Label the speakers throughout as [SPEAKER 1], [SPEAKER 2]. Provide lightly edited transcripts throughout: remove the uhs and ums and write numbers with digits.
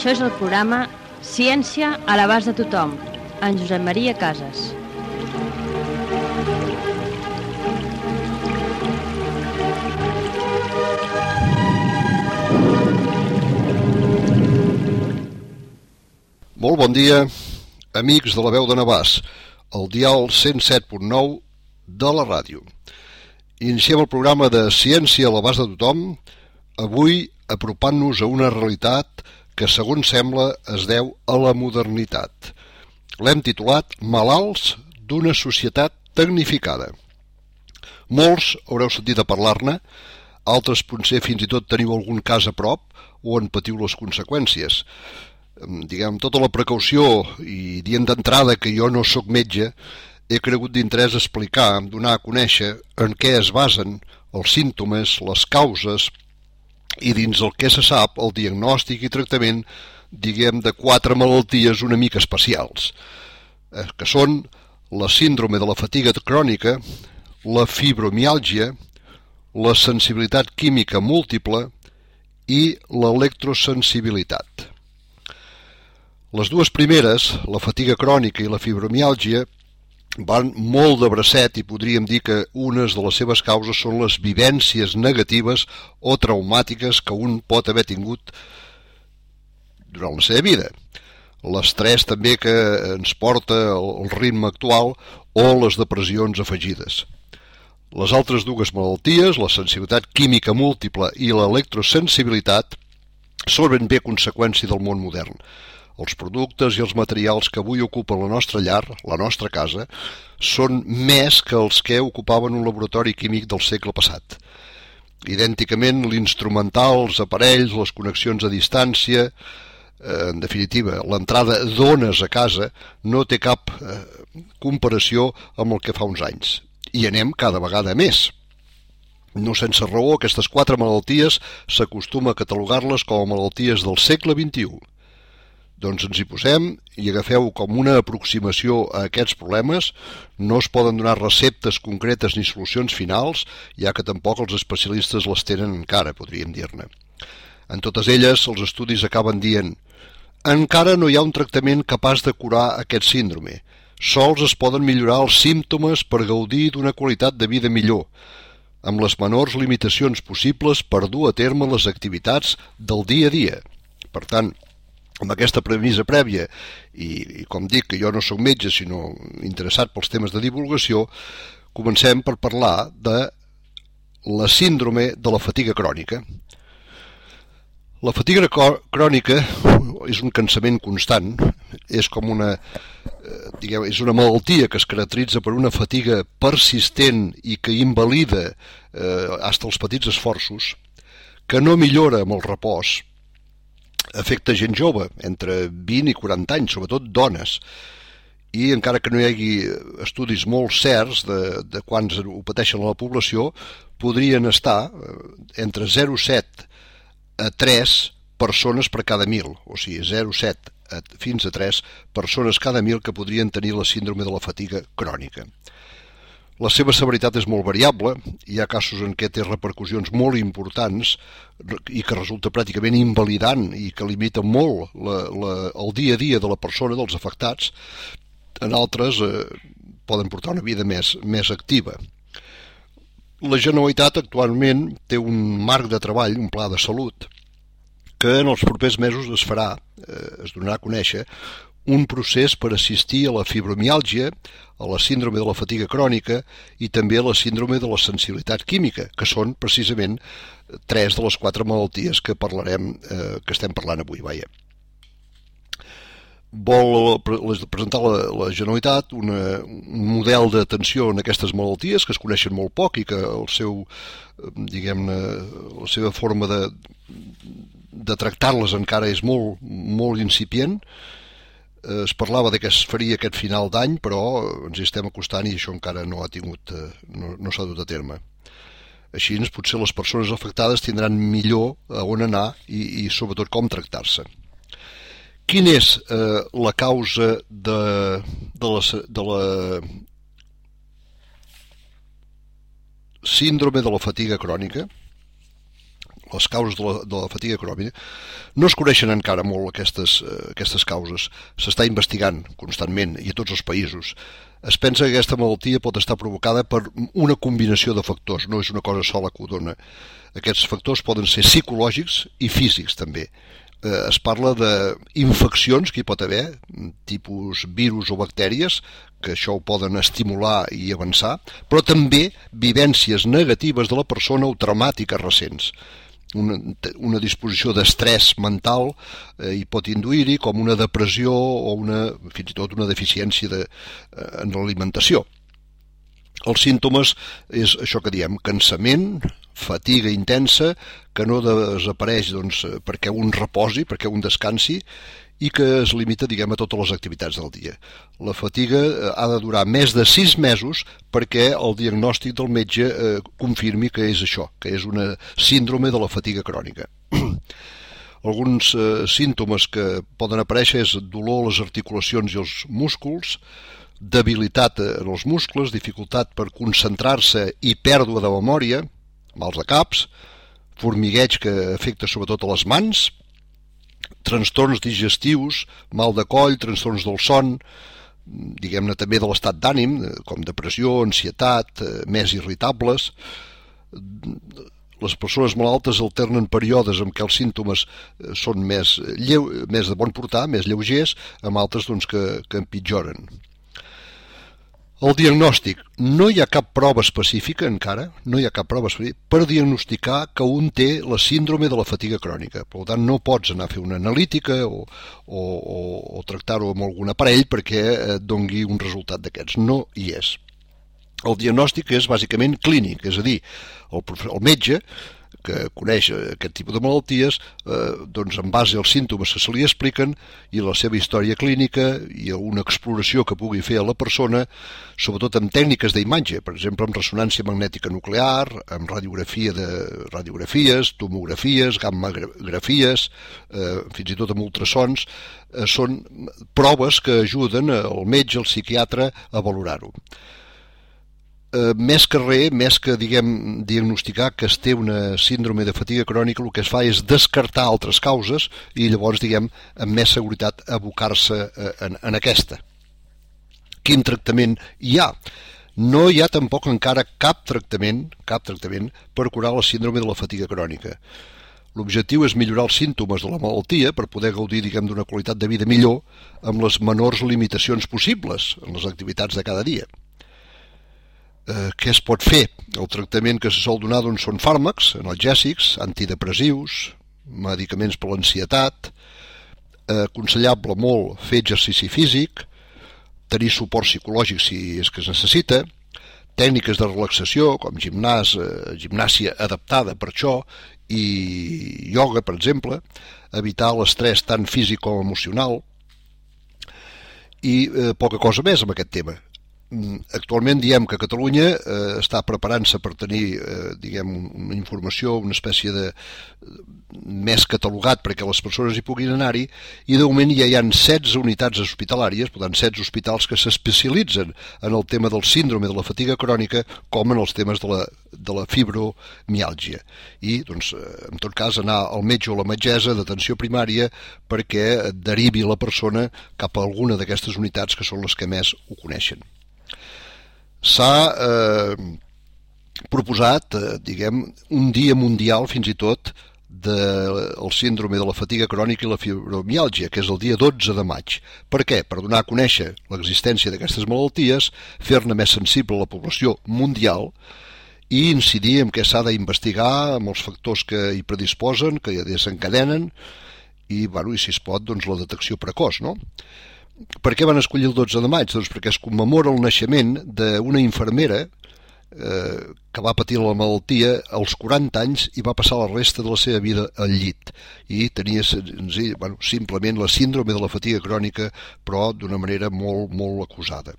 [SPEAKER 1] Això és el programa Ciència a l'abast de tothom, en Josep Maria Casas.
[SPEAKER 2] Molt bon dia, amics de la veu de Navàs, el dial 107.9 de la ràdio. Iniciem el programa de Ciència a l'abast de tothom, avui apropant-nos a una realitat que, segons sembla, es deu a la modernitat. L'hem titulat Malalts d'una societat tecnificada. Molts haureu sentit a parlar-ne, altres potser fins i tot teniu algun cas a prop o en patiu les conseqüències. Diguem, tota la precaució i dient d'entrada que jo no sóc metge, he cregut d'interès explicar, donar a conèixer en què es basen els símptomes, les causes i dins el que se sap el diagnòstic i tractament, diguem, de 4 malalties una mica especials, que són la síndrome de la fatiga crònica, la fibromiàlgia, la sensibilitat química múltiple i l'electrosensibilitat. Les dues primeres, la fatiga crònica i la fibromiàlgia, van molt de bracet i podríem dir que unes de les seves causes són les vivències negatives o traumàtiques que un pot haver tingut durant la seva vida. L'estrès també que ens porta el ritme actual o les depressions afegides. Les altres dues malalties, la sensibilitat química múltiple i l'electrosensibilitat, són ben bé conseqüència del món modern. Els productes i els materials que avui ocupen la nostra llar, la nostra casa, són més que els que ocupaven un laboratori químic del segle passat. Idènticament, l'instrumental, els aparells, les connexions a distància, en definitiva, l'entrada d'ones a casa no té cap comparació amb el que fa uns anys. I anem cada vegada més. No sense raó, aquestes 4 malalties s'acostuma a catalogar-les com a malalties del segle XXI. Doncs ens hi posem i agafeu com una aproximació a aquests problemes. No es poden donar receptes concretes ni solucions finals, ja que tampoc els especialistes les tenen encara, podríem dir-ne. En totes elles, els estudis acaben dient: encara no hi ha un tractament capaç de curar aquest síndrome. Sols es poden millorar els símptomes per gaudir d'una qualitat de vida millor, amb les menors limitacions possibles per dur a terme les activitats del dia a dia. Per tant, amb aquesta premissa prèvia, i com dic que jo no sóc metge sinó interessat pels temes de divulgació, comencem per parlar de la síndrome de la fatiga crònica. La fatiga crònica és un cansament constant, és com és una malaltia que es caracteritza per una fatiga persistent i que invalida fins als petits esforços, que no millora amb el repòs. Afecta gent jove, entre 20 i 40 anys, sobretot dones, i encara que no hi hagi estudis molt certs de quants ho pateixen a la població, podrien estar entre 0,7 a 3 persones per cada 1.000, o sigui, 0,7 fins a 3 persones cada 1.000 que podrien tenir la síndrome de la fatiga crònica. La seva severitat és molt variable, hi ha casos en què té repercussions molt importants i que resulta pràcticament invalidant i que limita molt el dia a dia de la persona, dels afectats. En altres poden portar una vida més activa. La Generalitat actualment té un marc de treball, un pla de salut, que en els propers mesos es donarà a conèixer un procés per assistir a la fibromiàlgia, a la síndrome de la fatiga crònica i també a la síndrome de la sensibilitat química, que són precisament 3 de les 4 malalties que estem parlant avui. Vol presentar la Generalitat un model d'atenció en aquestes malalties que es coneixen molt poc i que la seva forma de tractar-les encara és molt, molt incipient. Es parlava que es faria aquest final d'any, però ens hi estem acostant i això encara no s'ha dut a terme. Així, potser les persones afectades tindran millor a on anar i sobretot com tractar-se. Quina és la causa de la síndrome de la fatiga crònica? les causes de la fatiga crònica, no es coneixen encara molt aquestes causes. S'està investigant constantment i a tots els països. Es pensa que aquesta malaltia pot estar provocada per una combinació de factors, no és una cosa sola que ho dona. Aquests factors poden ser psicològics i físics també. Es parla d'infeccions que hi pot haver, tipus virus o bactèries, que això ho poden estimular i avançar, però també vivències negatives de la persona o traumàtiques recents. Una disposició d'estrès mental hi pot induir-hi, com una depressió o fins i tot una deficiència en l'alimentació. Els símptomes és això que diem, cansament, fatiga intensa, que no desapareix perquè un reposi, perquè un descansi, i que es limita, a totes les activitats del dia. La fatiga ha de durar més de 6 mesos perquè el diagnòstic del metge confirmi que és això, que és una síndrome de la fatiga crònica. Alguns símptomes que poden aparèixer és dolor a les articulacions i els músculs, debilitat en els muscles, dificultat per concentrar-se i pèrdua de memòria, mals de caps, formigueig que afecta sobretot a les mans, trastorns digestius, mal de coll, trastorns del son, diguem-ne també de l'estat d'ànim, com depressió, ansietat, més irritables. Les persones malaltes alternen períodes en què els símptomes són més de bon portar, més lleugers, amb altres que empitjoren. El diagnòstic. No hi ha cap prova específica encara, per diagnosticar que un té la síndrome de la fatiga crònica. Per tant, no pots anar a fer una analítica o tractar-ho amb algun aparell perquè et dongui un resultat d'aquests. No hi és. El diagnòstic és bàsicament clínic, és a dir, el metge que coneix aquest tipus de malalties, en base als símptomes que se li expliquen i la seva història clínica i una exploració que pugui fer a la persona, sobretot amb tècniques d'imatge, per exemple, amb ressonància magnètica nuclear, amb radiografies, tomografies, gammagrafies, fins i tot amb ultrasons, són proves que ajuden al metge, al psiquiatre, a valorar-ho. Més que diagnosticar que es té una síndrome de fatiga crònica, el que es fa és descartar altres causes i llavors, amb més seguretat, abocar-se en aquesta. Quin tractament hi ha? No hi ha tampoc encara cap tractament per curar la síndrome de la fatiga crònica. L'objectiu és millorar els símptomes de la malaltia per poder gaudir, d'una qualitat de vida millor amb les menors limitacions possibles en les activitats de cada dia. Què es pot fer? El tractament que se sol donar són fàrmacs analgèsics, antidepressius, medicaments per l'ansietat, aconsellable molt fer exercici físic, tenir suport psicològic si és que es necessita, tècniques de relaxació com gimnàsia adaptada per això i ioga, per exemple, evitar l'estrès tant físic com emocional i poca cosa més amb aquest tema. Actualment diem que Catalunya està preparant-se per tenir una informació, una espècie de més catalogat perquè les persones hi puguin anar-hi, i de moment ja hi ha 16 unitats hospitalàries, per tant 16 hospitals que s'especialitzen en el tema del síndrome de la fatiga crònica com en els temes de la fibromiàlgia. I, en tot cas, anar al metge o la metgessa d'atenció primària perquè derivi la persona cap a alguna d'aquestes unitats que són les que més ho coneixen. S'ha proposat, un dia mundial fins i tot del síndrome de la fatiga crònica i la fibromiàlgia, que és el dia 12 de maig. Per què? Per donar a conèixer l'existència d'aquestes malalties, fer-ne més sensible a la població mundial i incidir en què s'ha d'investigar amb els factors que hi predisposen, que desencadenen i, si es pot, la detecció precoç, no? Per què van escollir el 12 de maig? Doncs perquè es commemora el naixement d'una infermera que va patir la malaltia als 40 anys i va passar la resta de la seva vida al llit i tenia simplement la síndrome de la fatiga crònica, però d'una manera molt, molt acusada.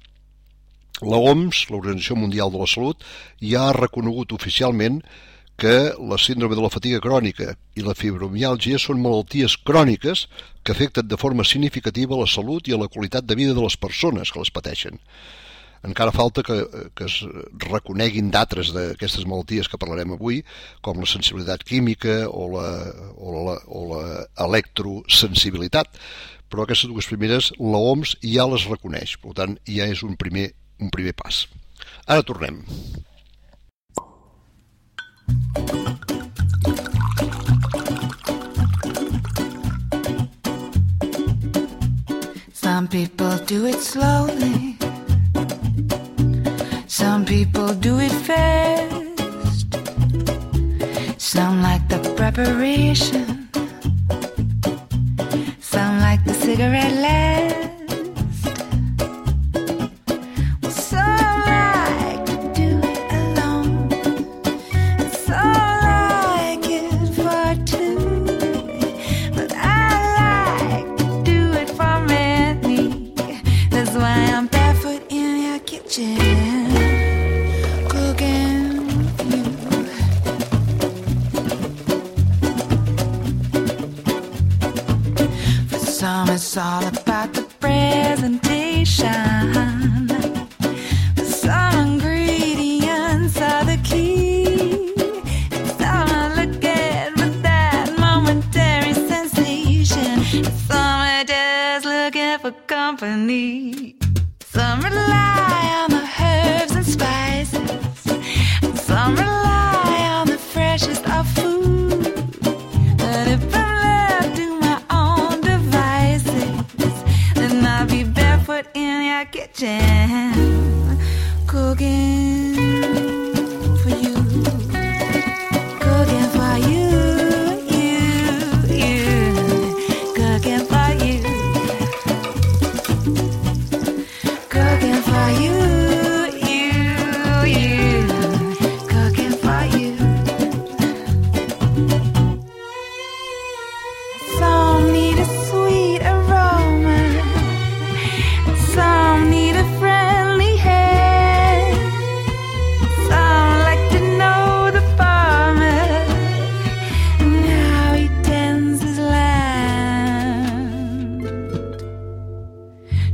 [SPEAKER 2] La OMS, l'Organització Mundial de la Salut, ja ha reconegut oficialment que la síndrome de la fatiga crònica i la fibromiàlgia són malalties cròniques que afecten de forma significativa la salut i a la qualitat de vida de les persones que les pateixen. Encara falta que es reconeguin d'altres d'aquestes malalties que parlarem avui, com la sensibilitat química o l'electrosensibilitat, però aquestes dues primeres l'OMS ja les reconeix, per tant ja és un primer pas. Ara tornem.
[SPEAKER 3] Some people do it slowly, some people do it fast, some like the preparation, some like the cigarette last. Some like to do it alone, and some like it for two, but I like to do it for many. That's why I'm barefoot in your kitchen, cooking for you. For some it's all about the presentation, for some ingredients are the key, and some are looking for that momentary sensation, and some are just looking for company. Some rely on the herbs and spices, and some rely on the freshest of food. But if I'm left to my own devices, then I'll be barefoot in your kitchen, cooking for you, cooking for you, cooking for you. Cooking for you, cooking for you. Some need a sweet aroma, some need a friendly hand, some like to know the farmer and how he tends his land.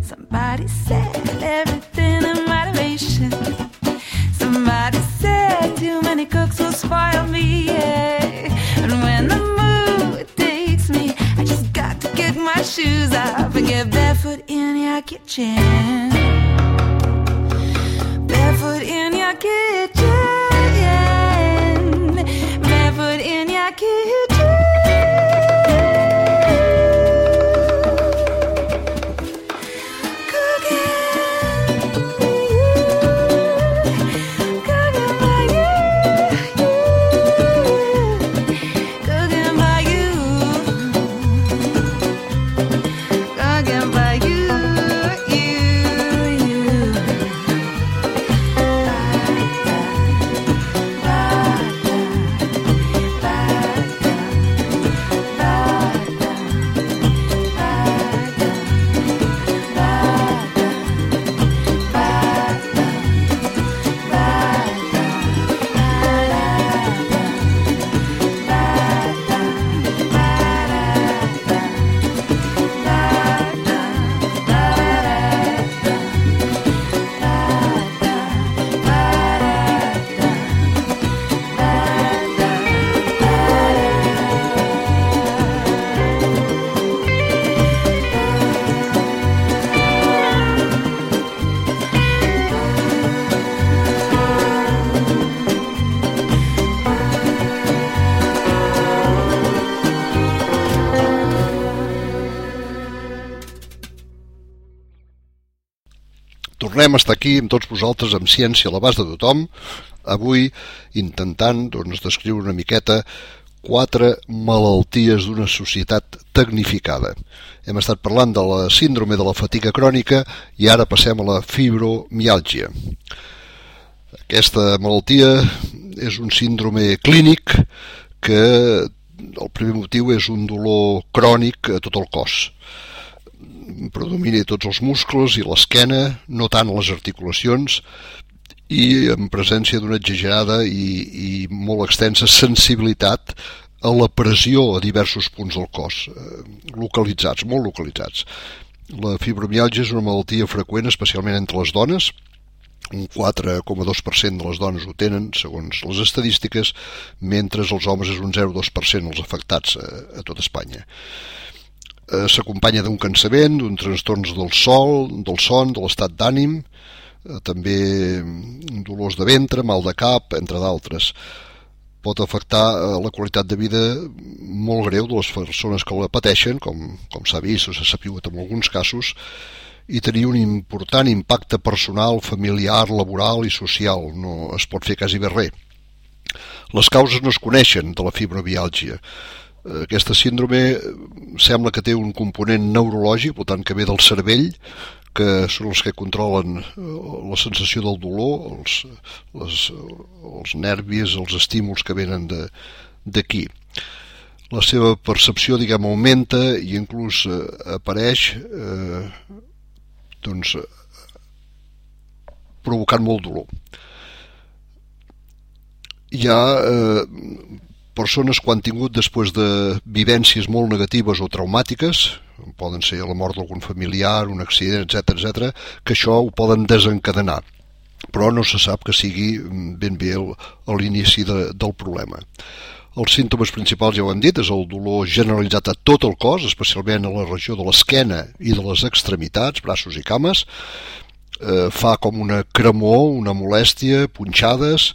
[SPEAKER 3] Somebody said everything in moderation. Somebody said too many cooks will spoil me, yeah. And when the mood takes me, I just got to kick my shoes off and get barefoot in your kitchen, barefoot in your kitchen, barefoot in your kitchen.
[SPEAKER 2] Tornem a estar aquí amb tots vosaltres amb Ciència a l'abast de tothom, avui intentant descriure una miqueta 4 malalties d'una societat tecnificada. Hem estat parlant de la síndrome de la fatiga crònica i ara passem a la fibromiàlgia. Aquesta malaltia és un síndrome clínic que el primer motiu és un dolor crònic a tot el cos. Predomina tots els muscles i l'esquena, no tant les articulacions, i en presència d'una exagerada i molt extensa sensibilitat a la pressió a diversos punts del cos, localitzats, molt localitzats. La fibromiàlgia és una malaltia freqüent, especialment entre les dones, Un 4,2% de les dones ho tenen, segons les estadístiques, mentre els homes és un 0,2% els afectats a tot Espanya. S'acompanya d'un cansament, d'un trastorns del son, de l'estat d'ànim, també dolors de ventre, mal de cap, entre d'altres. Pot afectar la qualitat de vida molt greu de les persones que la pateixen, com s'ha vist o s'ha sabut en alguns casos, i tenir un important impacte personal, familiar, laboral i social. No es pot fer quasi bé res. Les causes no es coneixen de la fibromiàlgia. Aquesta síndrome sembla que té un component neurològic, per tant que ve del cervell, que són els que controlen la sensació del dolor, els nervis, els estímuls que venen d'aquí. La seva percepció, diguem, augmenta i inclús apareix provocant molt dolor. Hi ha persones que han tingut després de vivències molt negatives o traumàtiques, poden ser la mort d'algun familiar, un accident, etc., que això ho poden desencadenar, però no se sap que sigui ben bé l'inici del problema. Els símptomes principals, ja ho hem dit, és el dolor generalitzat a tot el cos, especialment a la regió de l'esquena i de les extremitats, braços i cames. Fa com una cremor, una molèstia, punxades,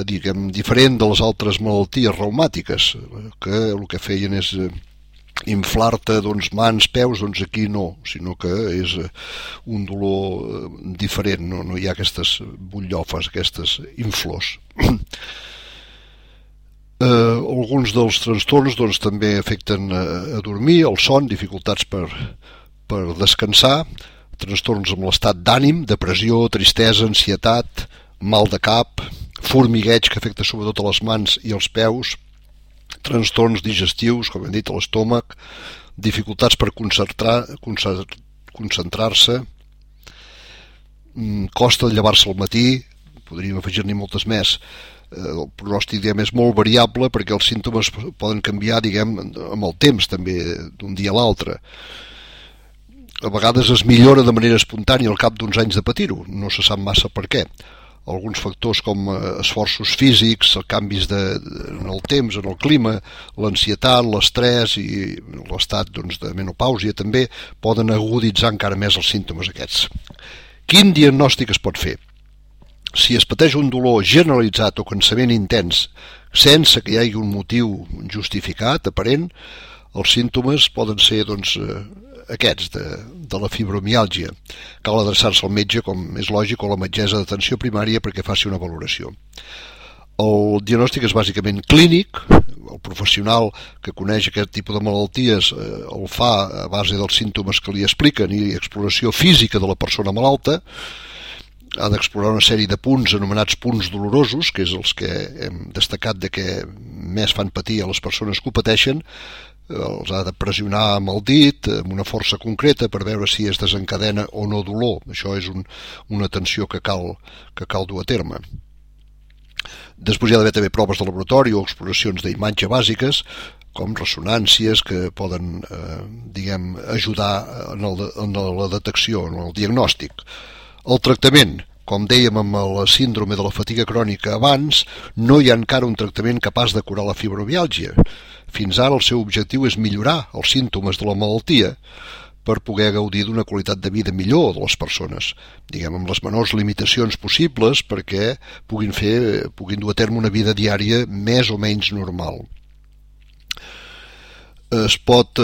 [SPEAKER 2] diguem, diferent de les altres malalties reumàtiques, que el que feien és inflar-te mans, peus, aquí no, sinó que és un dolor diferent, no hi ha aquestes butllofes, aquestes inflors. Alguns dels trastorns també afecten a dormir, el son, dificultats per descansar, trastorns amb l'estat d'ànim, depressió, tristesa, ansietat, mal de cap, formigueig que afecta sobretot a les mans i els peus, trastorns digestius, com hem dit, a l'estómac, dificultats per concentrar-se, costa de llevar-se al matí, podríem afegir-n'hi moltes més. El pronòstic, diguem, és molt variable perquè els símptomes poden canviar, diguem, amb el temps també, d'un dia a l'altre. A vegades es millora de manera espontània al cap d'uns anys de patir-ho, no se sap massa per què. Alguns factors com esforços físics, canvis en el temps, en el clima, l'ansietat, l'estrès i l'estat de menopàusia també poden aguditzar encara més els símptomes aquests. Quin diagnòstic es pot fer? Si es pateix un dolor generalitzat o cansament intens sense que hi hagi un motiu justificat, aparent, els símptomes poden ser aquests de la fibromiàlgia. Cal adreçar-se al metge, com és lògic, o a la metgessa d'atenció primària perquè faci una valoració. El diagnòstic és bàsicament clínic. El professional que coneix aquest tipus de malalties el fa a base dels símptomes que li expliquen i exploració física de la persona malalta. Ha d'explorar una sèrie de punts anomenats punts dolorosos, que és els que hem destacat de que més fan patir a les persones que ho pateixen. Els ha de pressionar amb el dit, amb una força concreta, per veure si es desencadena o no dolor. Això és una atenció que cal dur a terme. Després hi ha d'haver també proves de laboratori o exploracions d'imatge bàsiques, com ressonàncies que poden ajudar en la detecció, en el diagnòstic. El tractament, com dèiem amb la síndrome de la fatiga crònica abans, no hi ha encara un tractament capaç de curar la fibromiàlgia. Fins ara el seu objectiu és millorar els símptomes de la malaltia per poder gaudir d'una qualitat de vida millor de les persones, amb les menors limitacions possibles perquè puguin dur a terme una vida diària més o menys normal. Es pot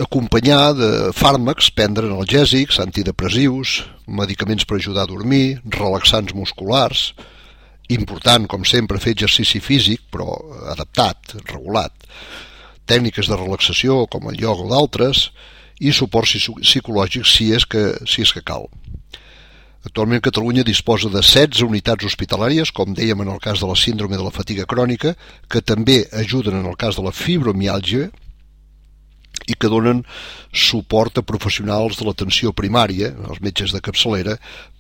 [SPEAKER 2] acompanyar de fàrmacs, prendre analgèsics, antidepressius, medicaments per ajudar a dormir, relaxants musculars. Important, com sempre, fer exercici físic, però adaptat, regulat. Tècniques de relaxació, com el ioga o d'altres, i suport psicològic si és que cal. Actualment Catalunya disposa de 16 unitats hospitalàries, com dèiem en el cas de la síndrome de la fatiga crònica, que també ajuden en el cas de la fibromiàlgia i que donen suport a professionals de l'atenció primària, els metges de capçalera,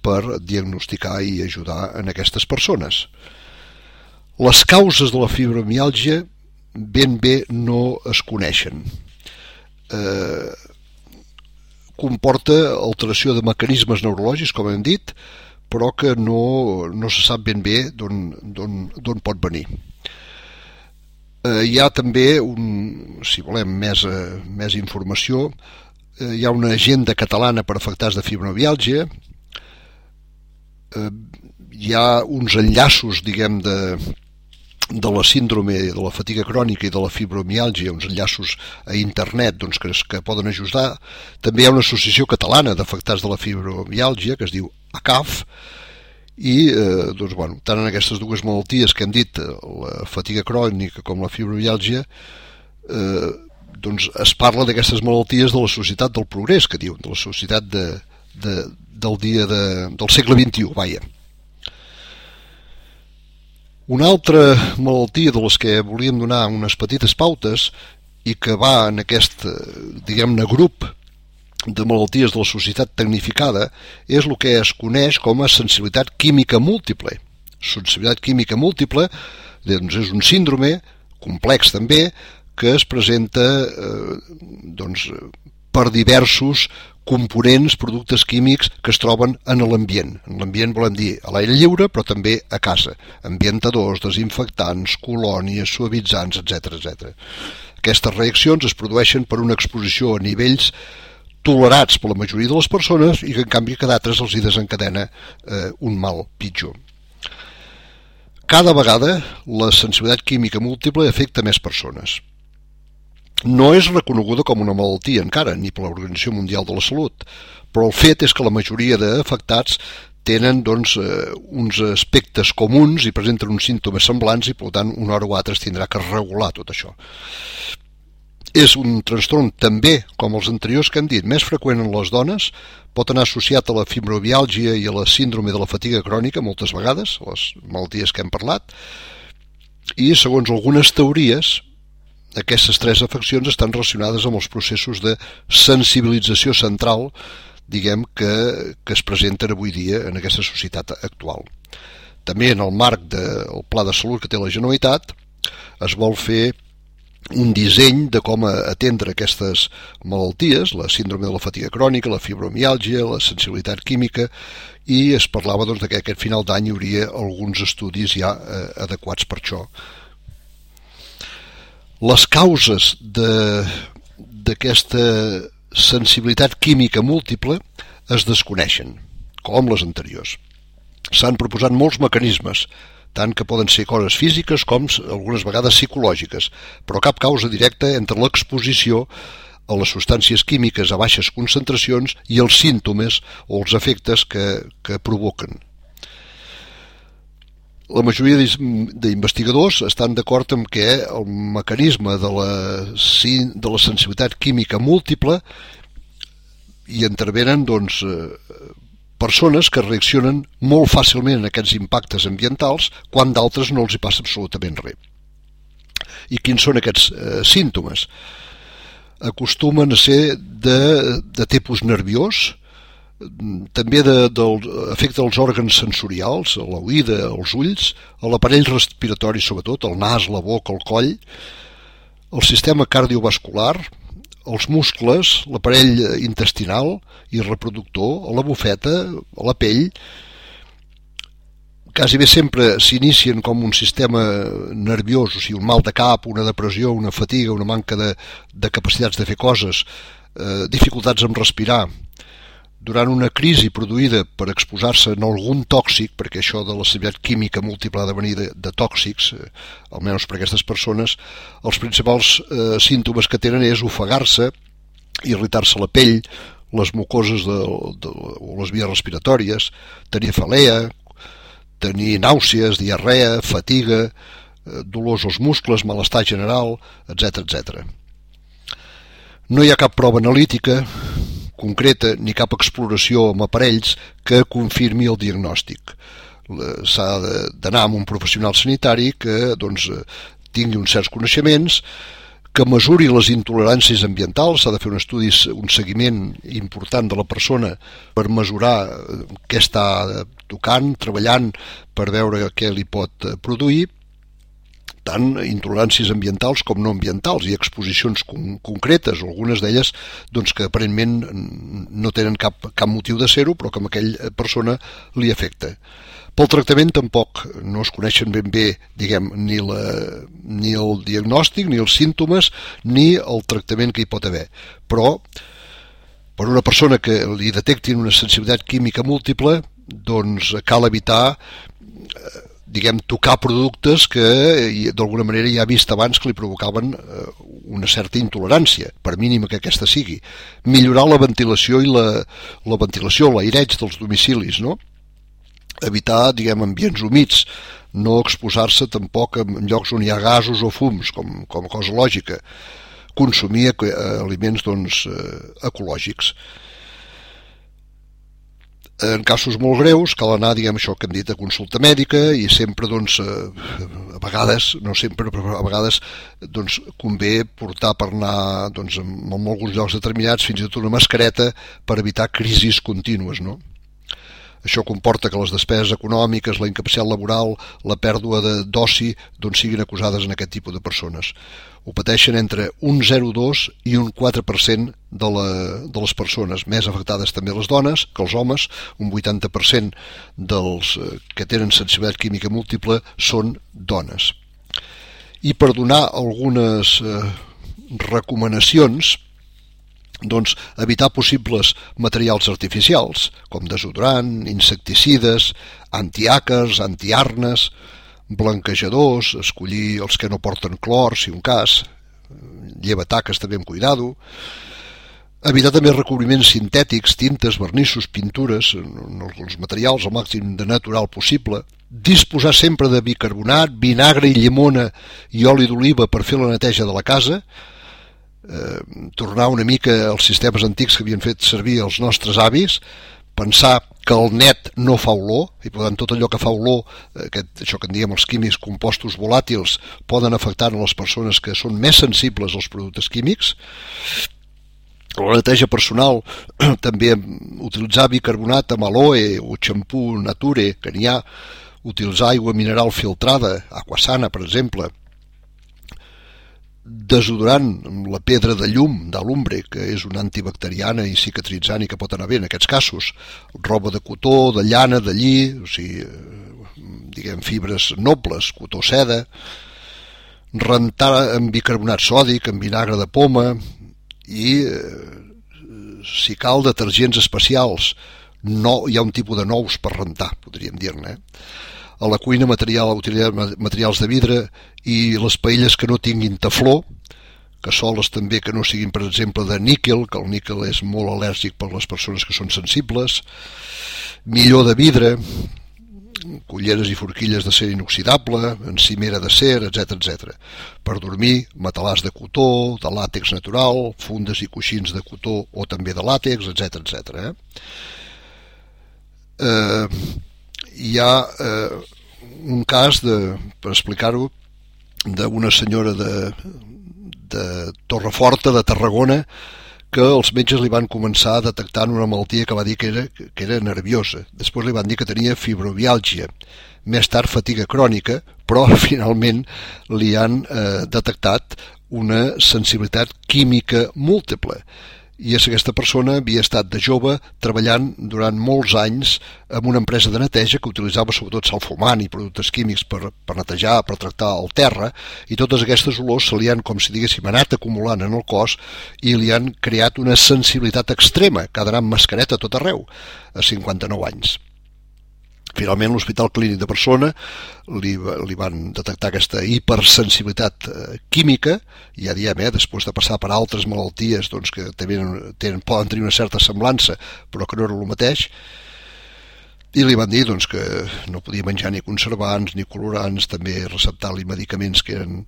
[SPEAKER 2] per diagnosticar i ajudar en aquestes persones. Les causes de la fibromiàlgia ben bé no es coneixen. Comporta alteració de mecanismes neurològics, com hem dit, però que no se sap ben bé d'on pot venir. Hi ha també, si volem més informació, hi ha una agenda catalana per afectats de fibromiàlgia, hi ha uns enllaços, diguem, de la síndrome de la fatiga crònica i de la fibromiàlgia, uns enllaços a internet que poden ajudar. També hi ha una associació catalana d'afectats de la fibromiàlgia que es diu ACAF, i tant en aquestes dues malalties que hem dit, la fatiga crònica com la fibromiàlgia, es parla d'aquestes malalties de la societat del progrés, que diuen, de la societat del segle XXI, vaja. Una altra malaltia de les que volíem donar unes petites pautes i que va en aquest, diguem-ne, grup de malalties de la societat tecnificada és el que es coneix com a sensibilitat química múltiple. Sensibilitat química múltiple és un síndrome complex també que es presenta per diversos components, productes químics que es troben en l'ambient. En l'ambient volem dir a l'aire lliure, però també a casa. Ambientadors, desinfectants, colònies, suavitzants, etc. Aquestes reaccions es produeixen per una exposició a nivells tolerats per la majoria de les persones i que en canvi a d'altres els hi desencadena un mal pitjor. Cada vegada la sensibilitat química múltiple afecta més persones. No és reconeguda com una malaltia encara, ni per l'Organització Mundial de la Salut, però el fet és que la majoria d'afectats tenen uns aspectes comuns i presenten uns símptomes semblants i per tant una hora o altra es tindrà que regular tot això. És un trastorn també, com els anteriors que hem dit, més freqüent en les dones, pot anar associat a la fibromiàlgia i a la síndrome de la fatiga crònica moltes vegades, les malalties que hem parlat, i segons algunes teories aquestes tres afeccions estan relacionades amb els processos de sensibilització central, diguem, que es presenten avui dia en aquesta societat actual. També en el marc del Pla de Salut que té la Generalitat es vol fer un disseny de com atendre aquestes malalties, la síndrome de la fatiga crònica, la fibromiàlgia, la sensibilitat química, i es parlava que aquest final d'any hi hauria alguns estudis ja adequats per això. Les causes d'aquesta sensibilitat química múltiple es desconeixen, com les anteriors. S'han proposat molts mecanismes, tant que poden ser coses físiques com algunes vegades psicològiques, però cap causa directa entre l'exposició a les substàncies químiques a baixes concentracions i els símptomes o els efectes que provoquen. La majoria d'investigadors estan d'acord amb que el mecanisme de la sensibilitat química múltiple hi intervenen persones que reaccionen molt fàcilment a aquests impactes ambientals quan d'altres no els hi passa absolutament res. I quins són aquests símptomes? Acostumen a ser de tipus nerviós, també afecta els òrgans sensorials, a l'oïda, als ulls, a l'aparell respiratori sobretot, el nas, la boca, el coll, el sistema cardiovascular, els muscles, l'aparell intestinal i reproductor, a la bufeta, a la pell. Quasi bé sempre s'inicien com un sistema nerviós, o sigui, un mal de cap, una depressió, una fatiga, una manca de capacitats de fer coses, dificultats en respirar. Durant una crisi produïda per exposar-se a algun tòxic, perquè això de la sensibilitat química múltiple ha de venir de tòxics, almenys per aquestes persones, els principals símptomes que tenen és ofegar-se, irritar-se la pell, les mucoses o les vies respiratòries, tenir cefalea, tenir nàusees, diarrea, fatiga, dolors als muscles, malestar general, etc. No hi ha cap prova analítica concreta ni cap exploració amb aparells que confirmi el diagnòstic. S'ha d'anar amb un professional sanitari que tingui uns certs coneixements, que mesuri les intoleràncies ambientals, s'ha de fer un seguiment important de la persona per mesurar què està tocant, treballant per veure què li pot produir. tant, intoleràncies ambientals com no ambientals i exposicions concretes, algunes d'elles doncs, que aparentment no tenen cap motiu de ser-ho, però que a aquella persona li afecta. Pel tractament tampoc no es coneixen ben bé, diguem, ni el diagnòstic, ni els símptomes, ni el tractament que hi pot haver. Però, per una persona que li detectin una sensibilitat química múltiple, doncs cal evitar, diguem, tocar productes que d'alguna manera ja ha vist abans que li provocaven una certa intolerància, per mínima que aquesta sigui. Millorar la ventilació i l'aireig dels domicilis, no? Evitar, diguem, ambients humits, no exposar-se tampoc en llocs on hi ha gasos o fums, com a cosa lògica. Consumir aliments, doncs, ecològics. En casos molt greus cal anar, diguem, això que hem dit, a consulta mèdica i sempre, doncs, a vegades, no sempre, però a vegades, doncs, convé portar per anar, doncs, en alguns llocs determinats fins i tot una mascareta per evitar crisis contínues, no? Això comporta que les despeses econòmiques, la incapacitat laboral, la pèrdua d'oci, doncs siguin acusades en aquest tipus de persones. Ho pateixen entre un 0,2 i un 4% de les persones, més afectades també les dones que els homes. Un 80% dels que tenen sensibilitat química múltiple són dones. I per donar algunes recomanacions, doncs evitar possibles materials artificials com desodorant, insecticides, antiàcars, antiarnes, blanquejadors, escollir els que no porten clor si un cas, llevataques també amb cuidado, evitar també recobriments sintètics, tintes, vernissos, pintures, els materials al màxim de natural possible, disposar sempre de bicarbonat, vinagre i llimona i oli d'oliva per fer la neteja de la casa, tornar una mica als sistemes antics que havien fet servir els nostres avis, pensar que el net no fa olor, i per tant tot allò que fa olor, això que en diem els químics, compostos volàtils, poden afectar a les persones que són més sensibles als productes químics. La neteja personal, també utilitzar bicarbonat amb aloe o xampú nature, que n'hi ha, utilitzar aigua mineral filtrada, aquasana, per exemple, desodorant amb la pedra de llum d'alumbre, que és una antibacteriana i cicatritzant i que pot anar bé en aquests casos, roba de cotó, de llana, de lli, o sigui, diguem, fibres nobles, cotó, seda, rentar amb bicarbonat sòdic, amb vinagre de poma i, si cal, detergents especials. No, hi ha un tipus de nous per rentar, podríem dir-ne, A la cuina utilitzar materials de vidre i les paelles que no tinguin tefló, cassoles també que no siguin, per exemple, de níquel, que el níquel és molt al·lèrgic per les persones que són sensibles, millor de vidre, culleres i forquilles d'acer inoxidable, encimera d'acer, etc. Per dormir, matalàs de cotó, de làtex natural, fundes i coixins de cotó o també de làtex, etc. Hi ha un cas, per explicar-ho, d'una senyora de Torreforta, de Tarragona, que els metges li van començar detectant una malaltia que va dir que era nerviosa. Després li van dir que tenia fibromiàlgia, més tard fatiga crònica, però finalment li han detectat una sensibilitat química múltiple. I aquesta persona havia estat de jove treballant durant molts anys en una empresa de neteja que utilitzava sobretot sal fumant i productes químics per netejar, per tractar el terra, i totes aquestes olors se li han, com si diguéssim, anat acumulant en el cos i li han creat una sensibilitat extrema, que ha d'anar amb mascareta a tot arreu, a 59 anys. Finalment, l'Hospital Clínic de Barcelona li van detectar aquesta hipersensibilitat química, i ja diem, després de passar per altres malalties doncs, que també poden tenir una certa semblança, però que no era el mateix, i li van dir doncs, que no podia menjar ni conservants ni colorants, també receptar-li medicaments que eren,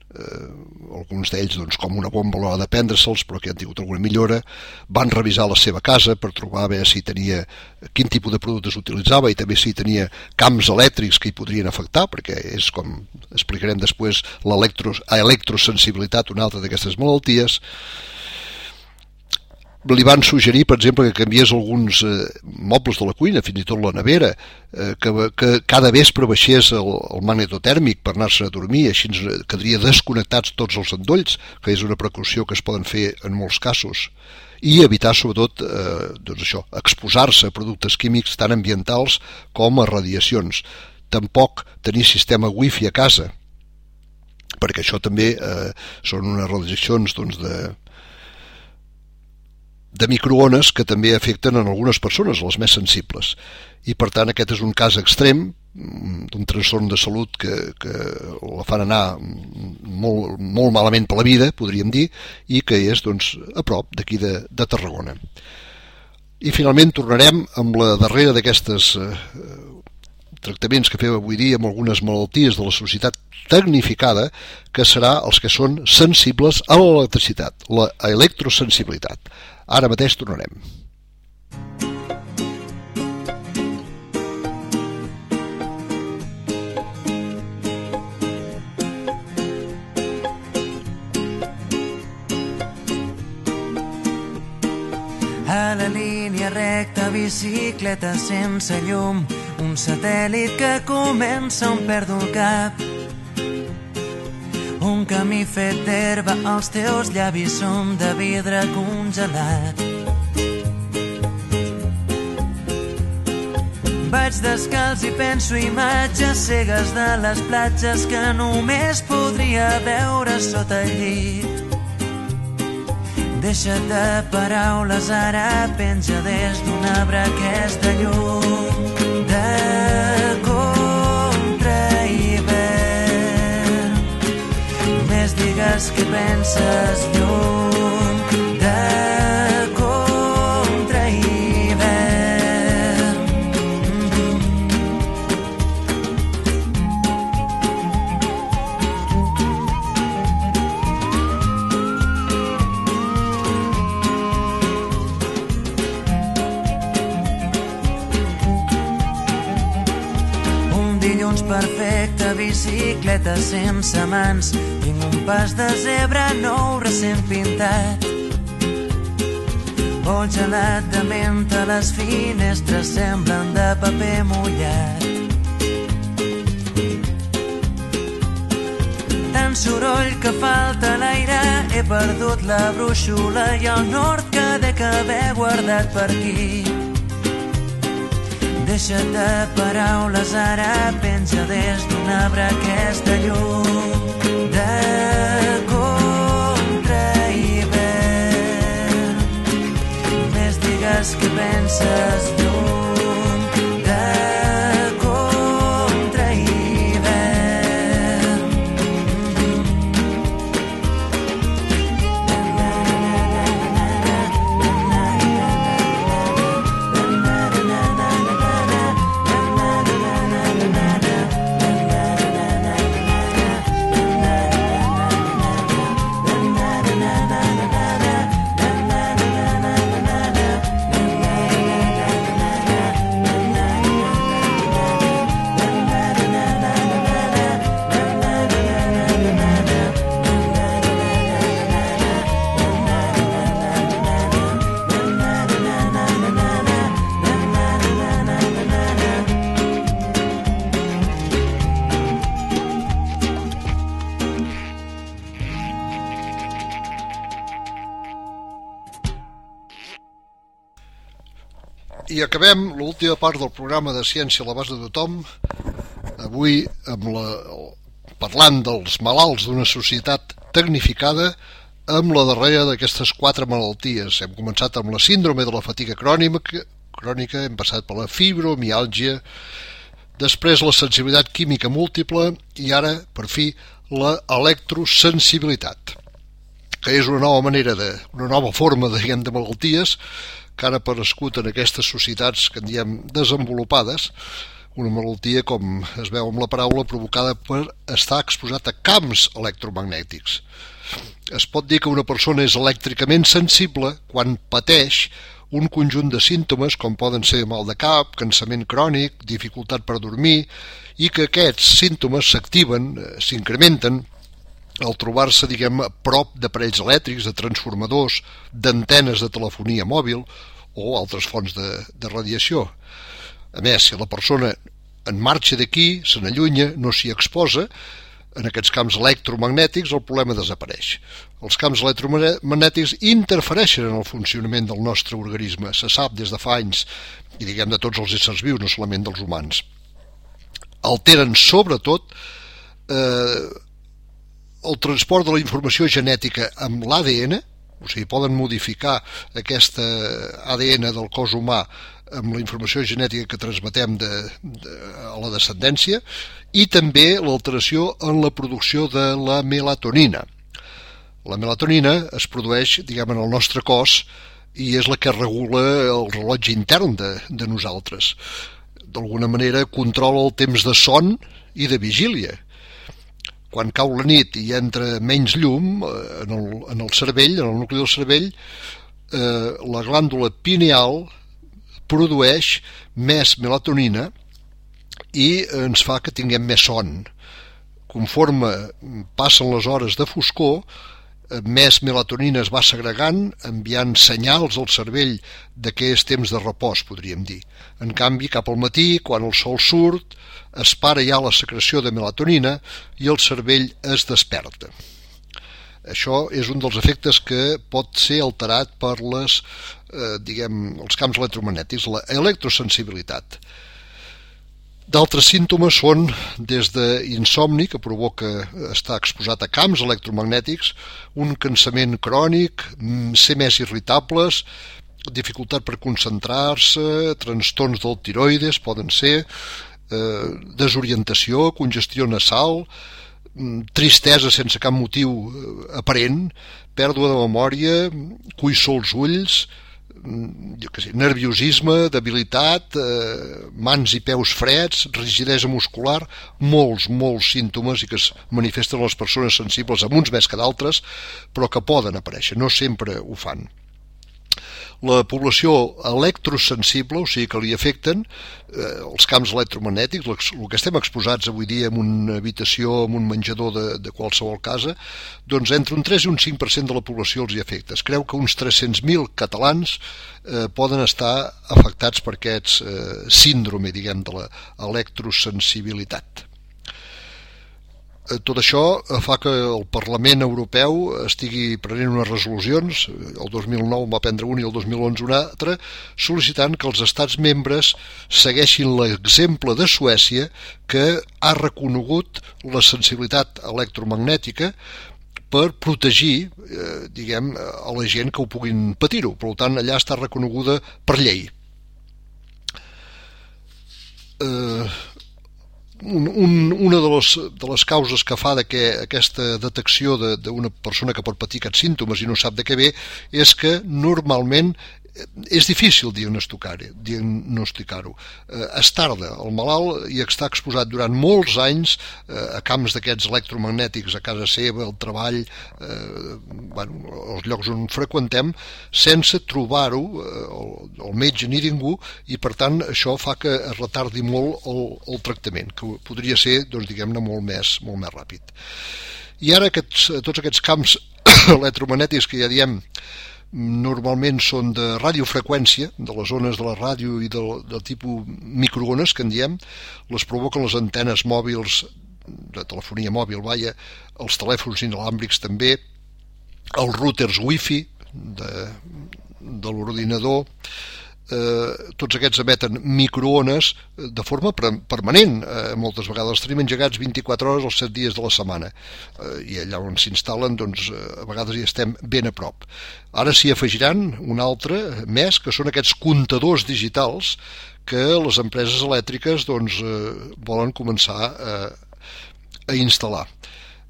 [SPEAKER 2] alguns d'ells doncs, com una bomba a l'hora de prendre-se'ls, però que han tingut alguna millora. Van revisar la seva casa per trobar a veure si tenia, quin tipus de productes utilitzava i també si tenia camps elèctrics que hi podrien afectar, perquè és, com explicarem després, l'electrosensibilitat, una altra d'aquestes malalties. li van suggerir, per exemple, que canviés alguns mobles de la cuina, fins i tot la nevera, que cada vespre baixés el magnetotèrmic per anar-se a dormir, així quedaria desconnectats tots els endolls, que és una precaució que es poden fer en molts casos, i evitar sobretot doncs això, exposar-se a productes químics tan ambientals com a radiacions. Tampoc tenir sistema wifi a casa, perquè això també són unes radiacions doncs, de microones que també afecten en algunes persones, les més sensibles. I per tant aquest és un cas extrem d'un trastorn de salut que la fan anar molt, molt malament per la vida, podríem dir, i que és doncs, a prop d'aquí de Tarragona. I finalment tornarem amb la darrera d'aquestes tractaments que fem avui dia amb algunes malalties de la societat tecnificada, que serà els que són sensibles a l'electricitat, la electrosensibilitat. Ara mateix tornarem.
[SPEAKER 4] A la línia recta, bicicleta sense llum, un satèl·lit que comença on perdo el cap. Un camí fet d'herba, els teus llavis són de vidre congelat. Vaig descalç i penso imatges cegues de les platges que només podria veure sota el llit. Deixa't de paraules, ara penja des d'un arbre aquesta llum de contrahivern. Més digues que penses llum de perfecte, bicicleta sense mans, tinc un pas de zebra nou recent pintat. Vol gelat de menta, les finestres semblen de paper mullat. Tant soroll que falta l'aire, he perdut la brúixola i el nord que dec haver guardat per aquí. Deixa't de paraules, ara penja des d'un arbre aquesta llum de contrahivern. Més digues que penses llum de contrahivern.
[SPEAKER 2] I acabem l'última part del programa de Ciència a l'abast de tothom, avui parlant dels malalts d'una societat tecnificada, amb la darrera d'aquestes 4 malalties. Hem començat amb la síndrome de la fatiga crònica, hem passat per la fibromiàlgia, després la sensibilitat química múltiple i ara, per fi, la electrosensibilitat, que és una nova forma de malalties que han aparegut en aquestes societats que en diem desenvolupades, una malaltia, com es veu amb la paraula, provocada per estar exposat a camps electromagnètics. Es pot dir que una persona és elèctricament sensible quan pateix un conjunt de símptomes com poden ser mal de cap, cansament crònic, dificultat per dormir, i que aquests símptomes s'activen, s'incrementen al trobar-se, diguem, a prop d'aparells elèctrics, de transformadors, d'antenes de telefonia mòbil o altres fonts de radiació. A més, si la persona en marxa d'aquí, se n'allunya, no s'hi exposa, en aquests camps electromagnètics el problema desapareix. Els camps electromagnètics interfereixen en el funcionament del nostre organisme, se sap des de fa anys, i diguem de tots els éssers vius, no solament dels humans. Alteren sobretot el transport de la informació genètica amb l'ADN, o sigui, poden modificar aquesta ADN del cos humà amb la informació genètica que transmetem a la descendència, i també l'alteració en la producció de la melatonina. La melatonina es produeix, diguem, en el nostre cos i és la que regula el rellotge intern de nosaltres. D'alguna manera controla el temps de son i de vigília. Quan cau la nit i entra menys llum en el cervell, en el nucli del cervell, la glàndula pineal produeix més melatonina i ens fa que tinguem més son. Conforme passen les hores de foscor, més melatonina es va segregant, enviant senyals al cervell de que és temps de repòs, podríem dir. En canvi, cap al matí, quan el sol surt, es para ja la secreció de melatonina i el cervell es desperta. Això és un dels efectes que pot ser alterat per els camps electromagnètics, la electrosensibilitat. D'altres símptomes són des d'insomni, que provoca estar exposat a camps electromagnètics, un cansament crònic, ser més irritables, dificultat per concentrar-se, trastorns del tiroides poden ser, desorientació, congestió nasal, tristesa sense cap motiu aparent, pèrdua de memòria, cuissó als ulls, nerviosisme, debilitat, mans i peus freds, rigidesa muscular, molts símptomes i que es manifesten a les persones sensibles, amb uns més que d'altres, però que poden aparèixer, no sempre ho fan. La població electrosensible, o sigui que li afecten els camps electromagnètics, el que estem exposats avui dia en una habitació, en un menjador de qualsevol casa, doncs entre un 3 i un 5% de la població els hi afecta. Es creu que uns 300.000 catalans poden estar afectats per aquest síndrome, diguem, de l'electrosensibilitat. Tot això fa que el Parlament Europeu estigui prenent unes resolucions, el 2009 va prendre una i el 2011 una altra, sol·licitant que els estats membres segueixin l'exemple de Suècia, que ha reconegut la sensibilitat electromagnètica per protegir, diguem, a la gent que ho puguin patir-ho. Per tant, allà està reconeguda per llei. Una de les causes que fa que aquesta detecció d'una persona que pot patir aquests símptomes i no sap de què ve és que normalment és difícil diagnosticar-ho. Es tarda. El malalt hi està exposat durant molts anys a camps d'aquests electromagnètics a casa seva, al treball, als llocs on freqüentem, sense trobar-ho el metge ni ningú, i per tant això fa que es retardi molt el tractament, que podria ser, doncs, diguem-ne, molt més ràpid. I ara tots aquests camps electromagnètics que ja diem normalment són de radiofreqüència, de les ones de la ràdio i del tipus microones, que en diem, les provoquen les antenes mòbils, de telefonia mòbil, els telèfons inalàmbrics també, els routers wifi de l'ordinador, tots aquests emeten microones de forma permanent. Moltes vegades els tenim engegats 24 hores els 7 dies de la setmana, i allà on s'instal·len, doncs, a vegades hi estem ben a prop. Ara s'hi afegiran un altre més, que són aquests comptadors digitals que les empreses elèctriques, doncs, volen començar a instal·lar.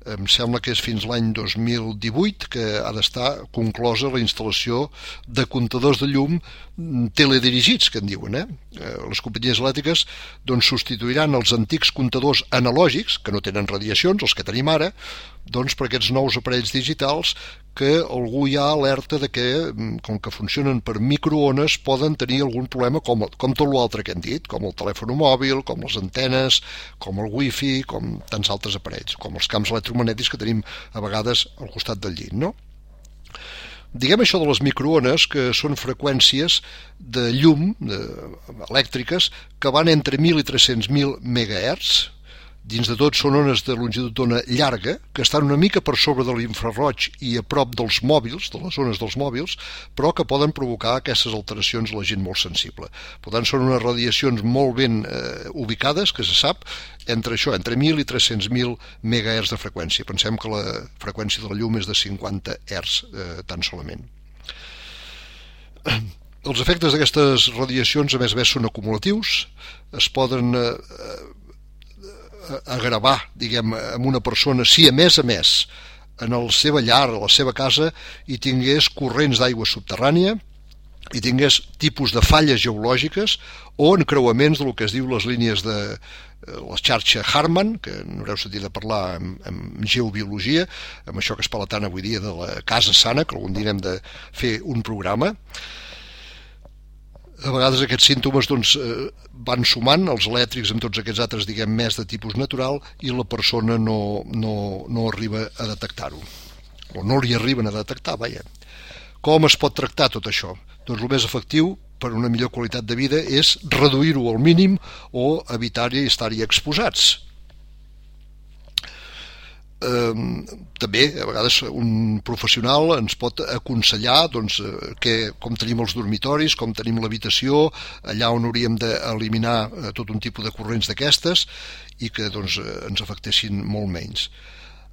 [SPEAKER 2] Em sembla que és fins l'any 2018 que ha d'estar conclosa la instal·lació de comptadors de llum teledirigits, que en diuen. Les companyies elèctriques, doncs, substituiran els antics comptadors analògics, que no tenen radiacions, els que tenim ara, doncs, per aquests nous aparells digitals que algú ja alerta de que, com que funcionen per microones, poden tenir algun problema com tot l'altre que hem dit, com el telèfon mòbil, com les antenes, com el wifi, com tants altres aparells, com els camps electromagnètics que tenim a vegades al costat del llit, no? Diguem això de les microones, que són freqüències de llum elèctriques que van entre 1.000 i 300.000 MHz. Dins de tot són ones de longitud d'ona llarga, que estan una mica per sobre de l'infraroig i a prop dels mòbils, de les ones dels mòbils, però que poden provocar aquestes alteracions a la gent molt sensible. Per tant, són unes radiacions molt ben ubicades, que se sap, entre 1.000 i 300.000 MHz de freqüència. Pensem que la freqüència de la llum és de 50 Hz tan solament. Els efectes d'aquestes radiacions, a més són acumulatius, es poden agravar, diguem, amb una persona si a més en la seva llar, a la seva casa hi tingués corrents d'aigua subterrània, hi tingués tipus de falles geològiques o encreuaments del que es diu les línies de la xarxa Harman, que n'haureu sentit a parlar en geobiologia, amb això que es parla tant avui dia de la casa sana, que algun dia hem de fer un programa. A vegades aquests símptomes van sumant, els elèctrics amb tots aquests altres, diguem, més de tipus natural, i la persona no arriba a detectar-ho, o no li arriben a detectar, vaja. Com es pot tractar tot això? Doncs el més efectiu per una millor qualitat de vida és reduir-ho al mínim o evitar-hi estar-hi exposats. També a vegades un professional ens pot aconsellar com tenim els dormitoris, com tenim l'habitació, allà on hauríem d'eliminar tot un tipus de corrents d'aquestes i que ens afectessin molt menys.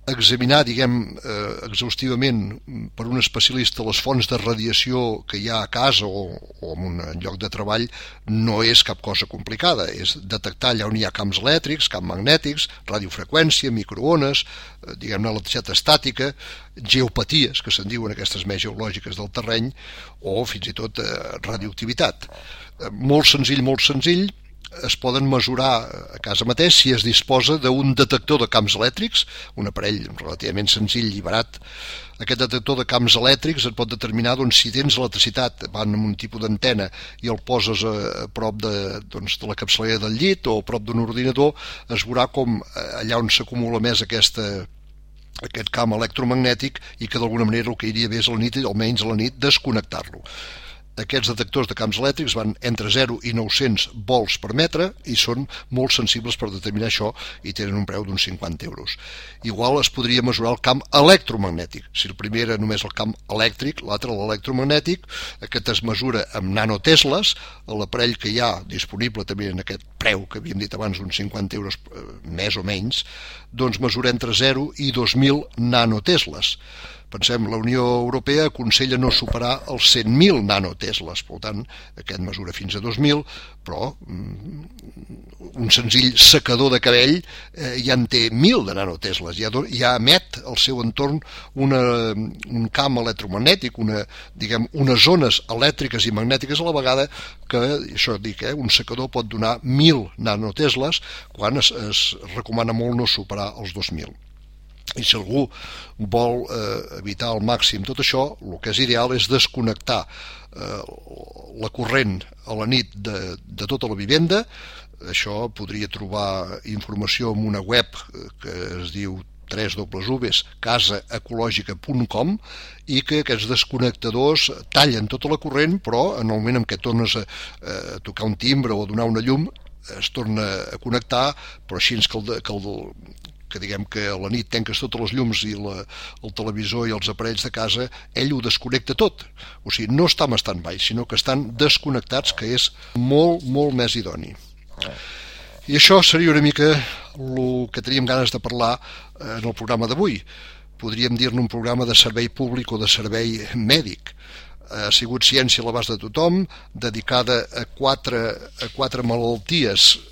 [SPEAKER 2] Examinar, diguem, exhaustivament per un especialista les fonts de radiació que hi ha a casa o en un lloc de treball no és cap cosa complicada, és detectar allà on hi ha camps elèctrics, camps magnètics, radiofreqüència, microones, diguem-ne electricitat estàtica, geopaties, que se'n diuen aquestes més geològiques del terreny, o fins i tot radioactivitat. Molt senzill, es poden mesurar a casa mateix si es disposa d'un detector de camps elèctrics, un aparell relativament senzill i barat. Aquest detector de camps elèctrics et pot determinar si tens electricitat, van amb un tipus d'antena i el poses a prop de la capçalera del llit o a prop d'un ordinador, es veurà com allà on s'acumula més aquest camp electromagnètic i que d'alguna manera el que iria bé és a la nit, almenys a la nit, desconnectar-lo. Aquests detectors de camps elèctrics van entre 0 i 900 volts per metre i són molt sensibles per determinar això i tenen un preu d'uns 50 euros. Igual es podria mesurar el camp electromagnètic. Si el primer era només el camp elèctric, l'altre l'electromagnètic, aquest es mesura amb nanotesles, l'aparell que hi ha disponible també en aquest preu que havíem dit abans, uns 50 euros més o menys, doncs mesura entre 0 i 2.000 nanotesles. Pensem, la Unió Europea aconsella no superar els 100.000 nanotesles, per tant, aquest mesura fins a 2.000, però un senzill secador de cabell ja en té 1.000 de nanotesles, ja emet al seu entorn un camp electromagnètic, unes zones elèctriques i magnètiques a la vegada, que, això dic, un secador pot donar 1.000 nanotesles, quan es recomana molt no superar els 2.000. I si algú vol evitar al màxim tot això, el que és ideal és desconnectar la corrent a la nit de tota la vivenda. Això podria trobar informació en una web que es diu www.casaecològica.com i que aquests desconnectadors tallen tota la corrent, però en el moment en què tornes a tocar un timbre o a donar una llum es torna a connectar, però així que diguem que a la nit tanques totes les llums i el televisor i els aparells de casa, ell ho desconnecta tot. O sigui, no està en stand-by, sinó que estan desconnectats, que és molt, molt més idoni. I això seria una mica el que teníem ganes de parlar en el programa d'avui. Podríem dir-ne un programa de servei públic o de servei mèdic. Ha sigut Ciència a l'abast de tothom, dedicada a quatre malalties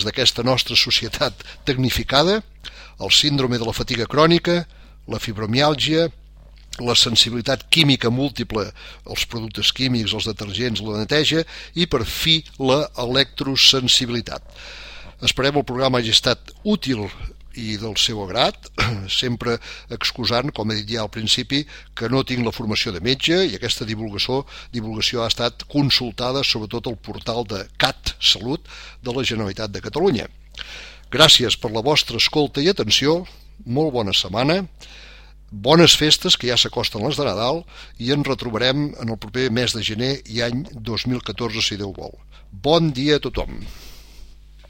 [SPEAKER 2] d'aquesta nostra societat tecnificada: el síndrome de la fatiga crònica, la fibromiàlgia, la sensibilitat química múltiple als productes químics, als detergents, la neteja i, per fi, la electrosensibilitat. Esperem el programa hagi estat útil i del seu agrat, sempre excusant, com he dit ja al principi, que no tinc la formació de metge i aquesta divulgació ha estat consultada sobretot al portal de CatSalut de la Generalitat de Catalunya. Gràcies per la vostra escolta i atenció, molt bona setmana, bones festes que ja s'acosten les de Nadal i ens retrobarem en el proper mes de gener i any 2014 si Déu vol. Bon dia a tothom.